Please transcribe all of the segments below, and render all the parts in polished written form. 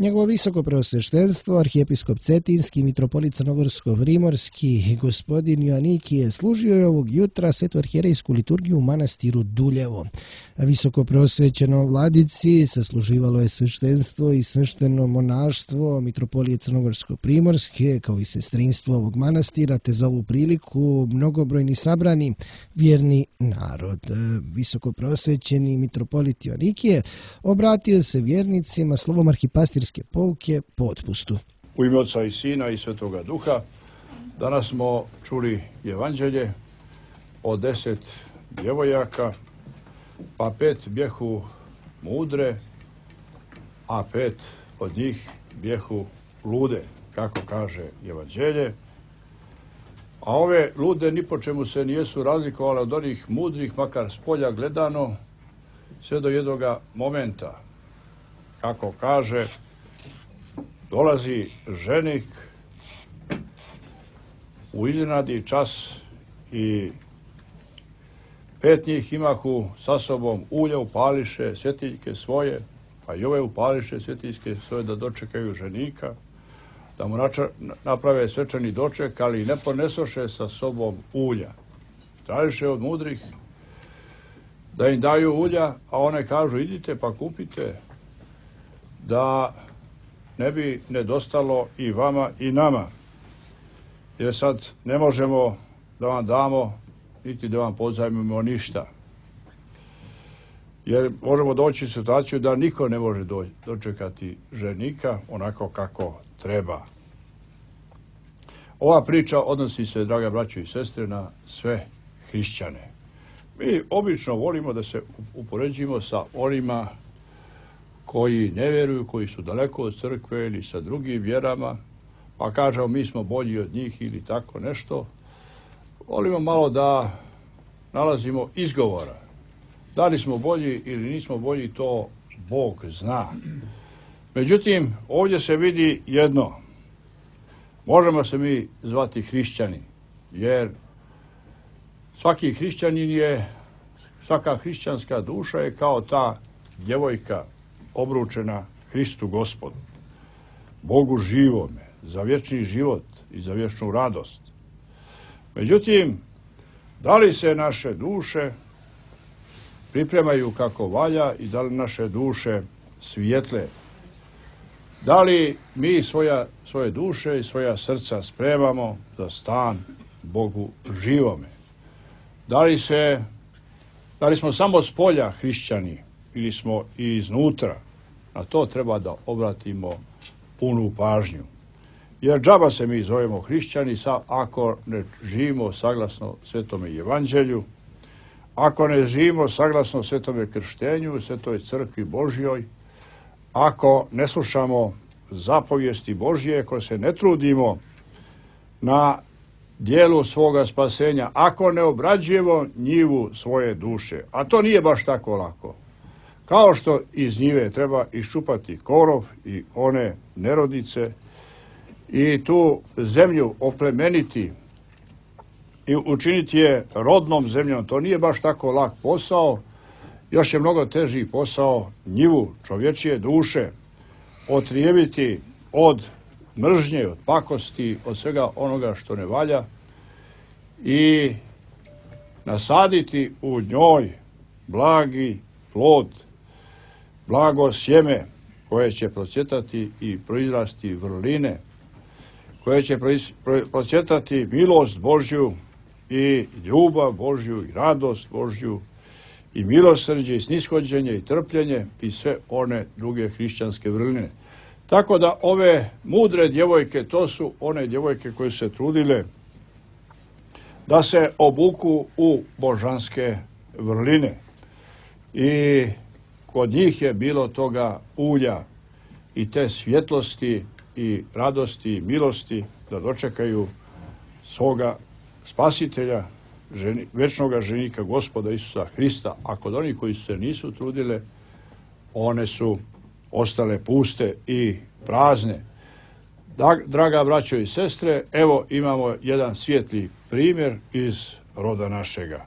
Njegovo visoko preosveštenstvo, arhijepiskop Cetinski, mitropolit Crnogorsko-Primorski, gospodin Joanikije, služio je ovog jutra svetu arhijerejsku liturgiju u manastiru Duljevo. Visoko preosvećeno vladici sasluživalo je sveštenstvo i svešteno monaštvo mitropolije Crnogorsko-Primorske, kao i sestrinstvo ovog manastira, te za ovu priliku mnogobrojni sabrani vjerni narod. Visoko preosvećeni mitropolit Joanikije obratio se vjernicima slovom arhipastirske pouke po otpustu. U ime Oca i Sina i Svetoga Duha, danas smo čuli evanđelje o 10 djevojaka, pa 5 bjehu mudre, a 5 od njih bjehu lude, kako kaže evanđelje. A ove lude ni po čemu se nijesu razlikovale od onih mudrih, makar s polja gledano, sve do jednoga momenta. Kako kaže, dolazi ženik u iznenadni čas i 5 njih imahu sa sobom ulja upališe svjetiljke svoje, a i ove upališe svjetiljke svoje da dočekaju ženika, da mu naprave svečani doček, ali ne ponesoše sa sobom ulja. Tražiše od mudrih da im daju ulja, a one kažu idite pa kupite, da ne bi nedostalo i vama i nama. Jer sad ne možemo da vam damo, niti da vam pozajmimo ništa. Jer možemo doći u situaciju da niko ne može dočekati ženika onako kako treba. Ova priča odnosi se, draga braćo i sestre, na sve hrišćane. Mi obično volimo da se upoređimo sa onima koji ne vjeruju, koji su daleko od crkve ili sa drugim vjerama, pa kažemo mi smo bolji od njih ili tako nešto. Volimo malo da nalazimo izgovora. Da li smo bolji ili nismo bolji, to Bog zna. Međutim, ovdje se vidi jedno. Možemo se mi zvati hrišćani, jer svaki hrišćanin je, svaka hrišćanska duša je kao ta djevojka obručena Hristu Gospodu, Bogu živome, za vječni život i za vječnu radost. Međutim, da li se naše duše pripremaju kako valja i da li naše duše svijetle? Da li mi svoje duše i svoja srca spremamo za stan Bogu živome? Da li smo samo s polja hrišćani ili smo i iznutra? Na to treba da obratimo punu pažnju. Jer džaba se mi zovemo hrišćani ako ne živimo saglasno Svetome evanđelju, ako ne živimo saglasno Svetome krštenju, Svetoj crkvi Božjoj, ako ne slušamo zapovijesti Božje, ako se ne trudimo na dijelu svoga spasenja, ako ne obrađujemo njivu svoje duše. A to nije baš tako lako. Kao što iz njive treba iščupati korov i one nerodice i tu zemlju oplemeniti i učiniti je rodnom zemljom, to nije baš tako lak posao. Još je mnogo teži posao njivu čovječije duše otrijebiti od mržnje, od pakosti, od svega onoga što ne valja i nasaditi u njoj blagi plod, blago sjeme koje će procvjetati i proizrasti vrline, koje će procvjetati milost Božju i ljubav Božju i radost Božju i milosrđe i snishođenje i trpljenje i sve one druge hrišćanske vrline. Tako da ove mudre djevojke, to su one djevojke koje se trudile da se obuku u božanske vrline. I kod njih je bilo toga ulja i te svjetlosti i radosti i milosti da dočekaju svoga spasitelja, večnoga ženika Gospoda Isusa Hrista. A kod onih koji se nisu trudile, one su ostale puste i prazne. Draga braćo i sestre, evo imamo jedan svijetli primjer iz roda našega.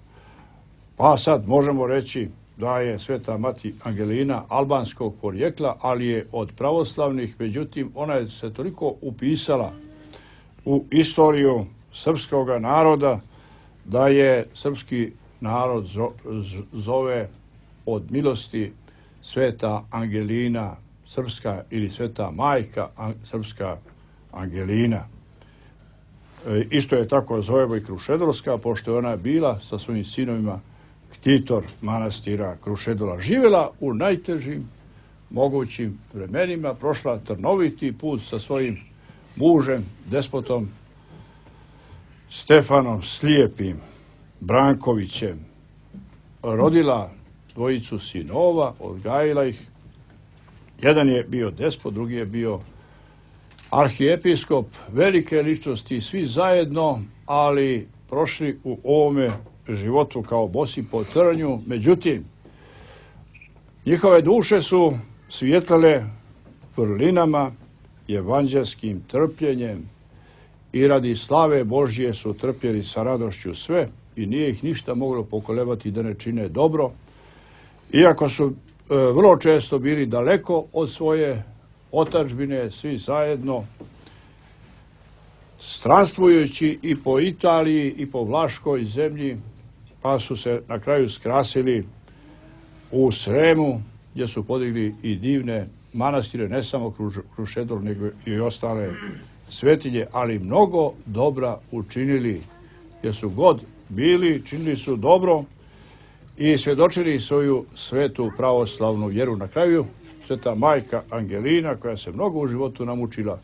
Pa sad možemo reći, da je sveta mati Angelina albanskog porijekla, ali je od pravoslavnih, međutim ona je se toliko upisala u istoriju srpskog naroda da je srpski narod zove od milosti sveta Angelina srpska ili sveta majka srpska Angelina. Isto je tako zovemo i Krušedolska, pošto je ona bila sa svojim sinovima ktitor manastira Krušedola. Živjela u najtežim mogućim vremenima, prošla trnoviti put sa svojim mužem, despotom Stefanom Slijepim Brankovićem. Rodila dvojicu sinova, odgajila ih. Jedan je bio despot, drugi je bio arhijepiskop, velike ličnosti, svi zajedno, ali prošli u ovome životu kao bosi po trnju. Međutim, njihove duše su svijetlale vrlinama, evanđelskim trpljenjem i radi slave Božje su trpjeli sa radošću sve i nije ih ništa moglo pokolebati da ne čine dobro. Iako su vrlo često bili daleko od svoje otadžbine, svi zajedno, stranstvujući i po Italiji i po Vlaškoj zemlji, pa su se na kraju skrasili u Sremu, gdje su podigli i divne manastire, ne samo Krušedol, nego i ostale svetinje, ali mnogo dobra učinili, jer su god bili, činili su dobro i svjedočili svoju svetu pravoslavnu vjeru. Na kraju sveta majka Angelina, koja se mnogo u životu namučila,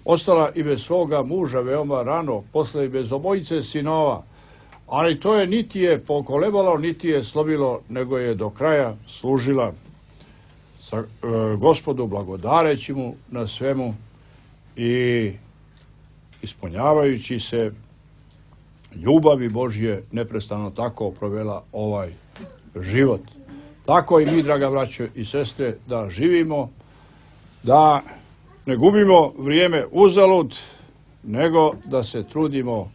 ostala i bez svoga muža veoma rano, posle i bez obojice sinova, ali to je niti je pokolebalo, niti je slomilo, nego je do kraja služila Gospodu, blagodareći mu na svemu i ispunjavajući se ljubavi Božje, neprestano tako provela ovaj život. Tako i mi, draga braćo i sestre, da živimo, da ne gubimo vrijeme uzalud, nego da se trudimo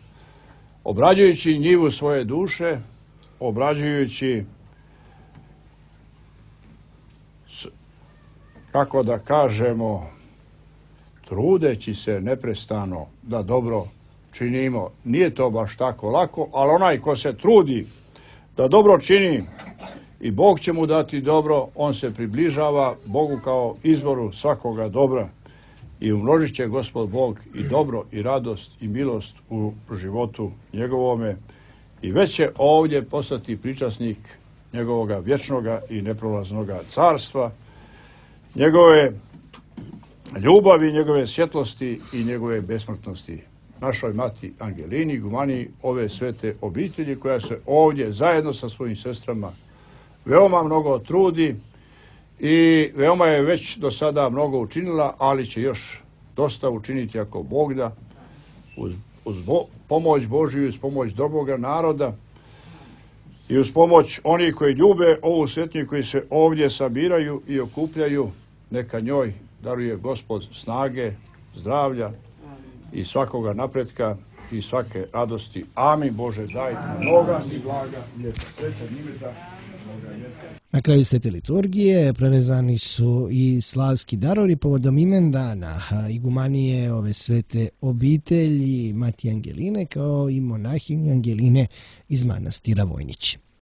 obrađujući njivu svoje duše, obrađujući, kako da kažemo, trudeći se neprestano da dobro činimo. Nije to baš tako lako, ali onaj ko se trudi da dobro čini i Bog će mu dati dobro, on se približava Bogu kao izvoru svakoga dobra i umnožit će Gospod Bog i dobro i radost i milost u životu njegovome i već će ovdje postati pričasnik njegovoga vječnoga i neprolaznoga carstva, njegove ljubavi, njegove svjetlosti i njegove besmrtnosti. Našoj mati Angelini, gumaniji ove svete obitelji, koja se ovdje zajedno sa svojim sestrama veoma mnogo trudi i veoma je već do sada mnogo učinila, ali će još dosta učiniti ako Bog da, uz pomoć Božiju, uz pomoć dobroga naroda i uz pomoć onih koji ljube ovu svetinju, koji se ovdje sabiraju i okupljaju. Neka njoj daruje Gospod snage, zdravlja i svakoga napretka i svake radosti. Amin. Bože, dajte mnoga i blaga ljeta. Na kraju svete liturgije prerezani su i slavski darovi povodom imendana igumanije ove svete obitelji mati Angeline, kao i monahinje Angeline iz manastira Vojnić.